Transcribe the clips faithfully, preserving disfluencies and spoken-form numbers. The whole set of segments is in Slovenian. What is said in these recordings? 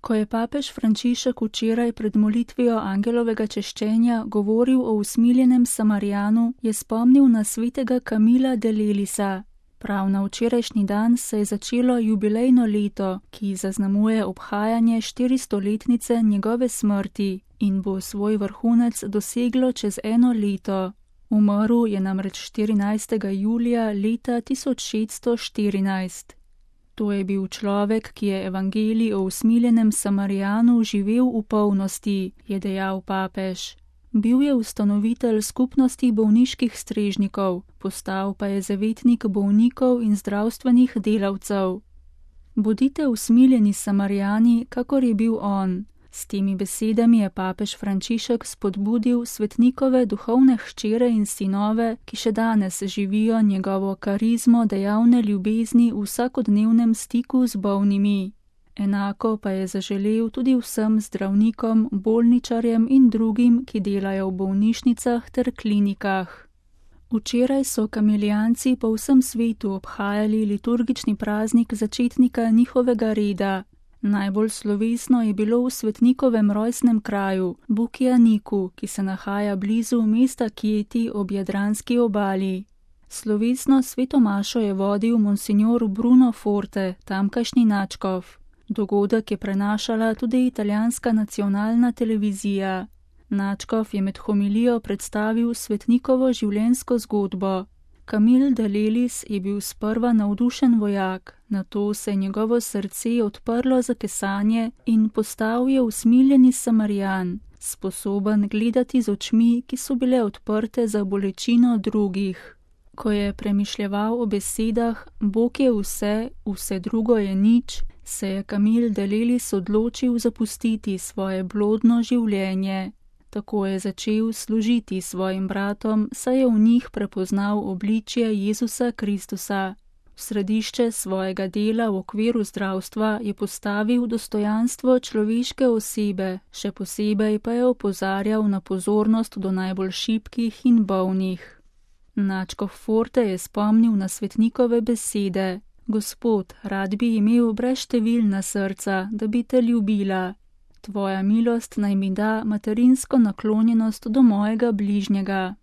Ko je papež Frančišek včeraj pred molitvijo angelovega češčenja govoril o usmiljenem Samarijanu, je spomnil na svetega Camila de Lelisa. Prav na včerajšnji dan se je začelo jubilejno leto, ki zaznamuje obhajanje štiristoletnice njegove smrti in bo svoj vrhunec doseglo čez eno leto. Umrl je namreč štirinajstega julija leta tisoč šeststo štirinajst. To je bil človek, ki je evangelij o usmiljenem Samarijanu živel v polnosti, je dejal papež. Bil je ustanovitelj skupnosti bolniških strežnikov, postal pa je zavetnik bolnikov in zdravstvenih delavcev. Bodite usmiljeni Samarijani, kakor je bil on. S temi besedami je papež Frančišek spodbudil svetnikove duhovne hčere in sinove, ki še danes živijo njegovo karizmo dejavne ljubezni v vsakodnevnem stiku z bolnimi. Enako pa je zaželel tudi vsem zdravnikom, bolničarjem in drugim, ki delajo v bolnišnicah ter klinikah. Včeraj so kamilijanci po vsem svetu obhajali liturgični praznik začetnika njihovega reda. Najbolj slovesno je bilo v svetnikovem rojstnem kraju, Bukijaniku, ki se nahaja blizu mesta Kijeti ob jadranski obali. Slovesno sveto mašo je vodil monsignor Bruno Forte, tamkajšnji nadškof. Dogodek je prenašala tudi italijanska nacionalna televizija. Nadškof je med homilijo predstavil svetnikovo življenjsko zgodbo. Camil de Lelis je bil sprva navdušen vojak, nato se je njegovo srce odprlo za kesanje in postal je usmiljeni Samarijan, sposoben gledati z očmi, ki so bile odprte za bolečino drugih. Ko je premišljeval o besedah Bog je vse, vse drugo je nič, se je Camil de Lelis odločil zapustiti svoje blodno življenje. Tako je začel služiti svojim bratom, saj je v njih prepoznal obličje Jezusa Kristusa. V središče svojega dela v okviru zdravstva je postavil dostojanstvo človeške osebe, še posebej pa je opozarjal na pozornost do najbolj šibkih in bolnih. Nadškof Forte je spomnil na svetnikove besede: Gospod, rad bi imel brezštevilna srca, da bi te ljubila. Tvoja milost naj mi da materinsko naklonjenost do mojega bližnjega.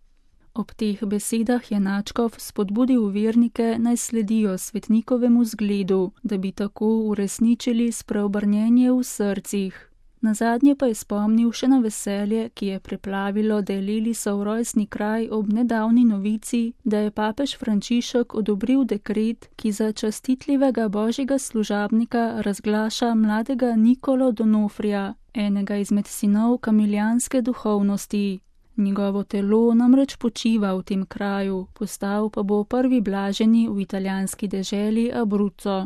Ob teh besedah je nadškof spodbudil vernike naj sledijo svetnikovemu zgledu, da bi tako uresničili spreobrnjenje v srcih. Nazadnje pa je spomnil še na veselje, ki je preplavilo de Lelisov rojstni kraj ob nedavni novici, da je papež Frančišek odobril dekret, ki za častitljivega božjega služabnika razglaša mladega Nicolo Donofrija, enega izmed sinov kamilijanske duhovnosti. Njegovo telo namreč počiva v tem kraju, postal pa bo prvi blaženi v italijanski deželi Abruzzo.